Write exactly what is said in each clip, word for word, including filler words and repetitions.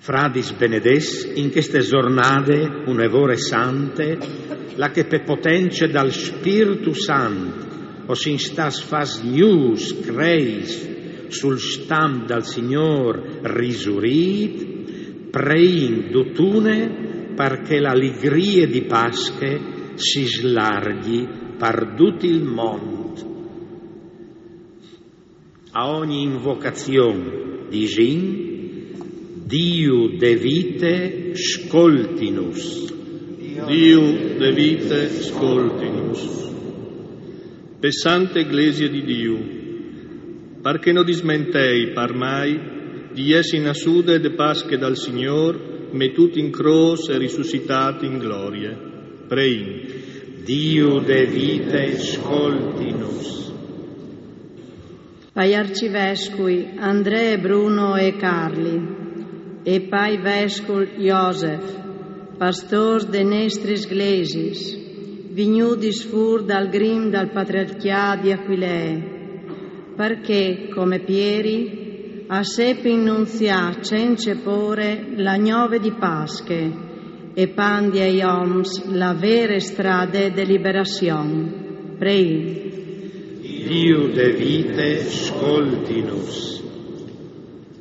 Fradis benedets, in cheste zornade une vore sante, là che pe potence dal Spirtu Sant o sin stats fats gnûfs creis sul stamp dal Signôr risurît, preìn dutune par che la ligrie di Pasche si slarghi par dut il mont. A ogni invocazion disìn: Diu de vite, scoltinus. Diu de vite, scoltinus. Pe sante Glesie di Diu, par che no dismentei par mai di jessi nassude de Pasche dal Signôr, metût in crôs e risuscitât in glorie. Preìn. Diu de vite, scoltinus. Pai arcivescui Andree, Bruno e Carli, e pai vescul Josef, pastôrs de nestris glesis, vignudis fûr dal grim dal patriarcjât di Aquilee, par che, come Pieri, a sepin nunziâ cence pôre la gnove di Pasche e pandi ai oms la vere strade de liberazion. Preìn. Diu de vite, scoltinus.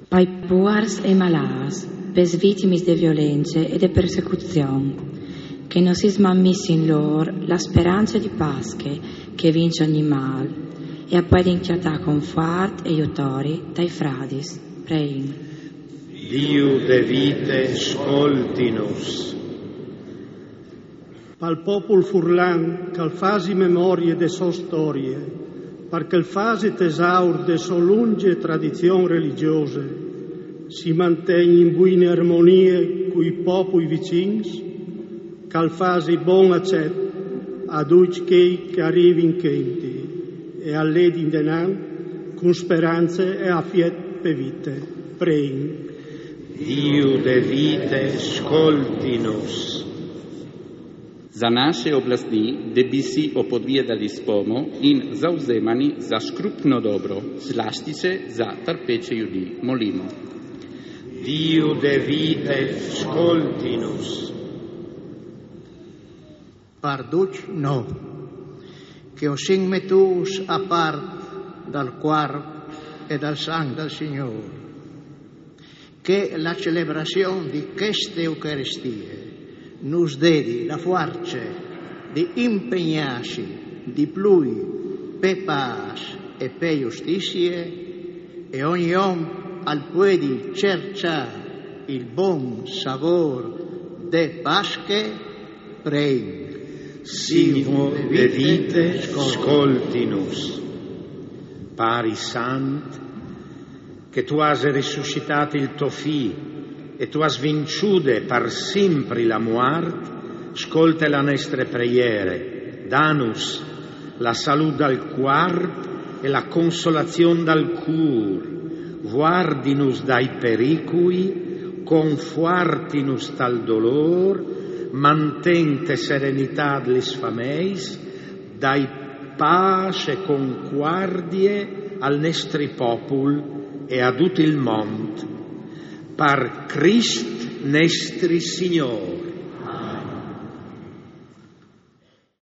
Pai puars e malâts, pes vitimis de violence e de persecuzion, che no si smammìs in lôr la sperance di Pasche che vinç ogni mâl e a puedin cjatâ confuart e jutori tai fradis. Preìn. Diu de vite, scoltinus. Pal popul furlan, ch'al fasi memorie de sô storie, par ch'al fasi tesaur de sô lungje tradizion religjose, si mantegni in buine armonie cui popui vicins, ch'al fasi bon acet a ducj chei che a rivin chenti e a ledin denant cun sperance e afiet pe vite. Preìn. Diu de vite, scoltinus. Za naše oblastni debisi o podvie da lispomo in zauzemani za škrupno dobro, slastice za tarpeće judi, molimo. Diu de vite, scoltinus. Par ducj no, che o sin metûts a part dal cuarp e dal sanc dal Signôr, che la celebrazion di cheste Eucaristie nus dedi la fuarce di impegnâsi di plui pe pâs e pe justizie, e ogni om al puedi cerçâ il bon savôr de Pasche. Preìn. Signôr de vite, scoltinus. Pari sant, che tu âs risuscitât il to Fi e tu âs vinçude par simpri la muart, scolte la nestre preiere, danus la salût dal cuarp e la consolazion dal cûr, vuardinus dai pericui, confuartinus tal dolôr, manten te serenitât lis fameis, dai pâs e concuardie al nestri popul e a dut il mont. Par Crist nestri Signôr.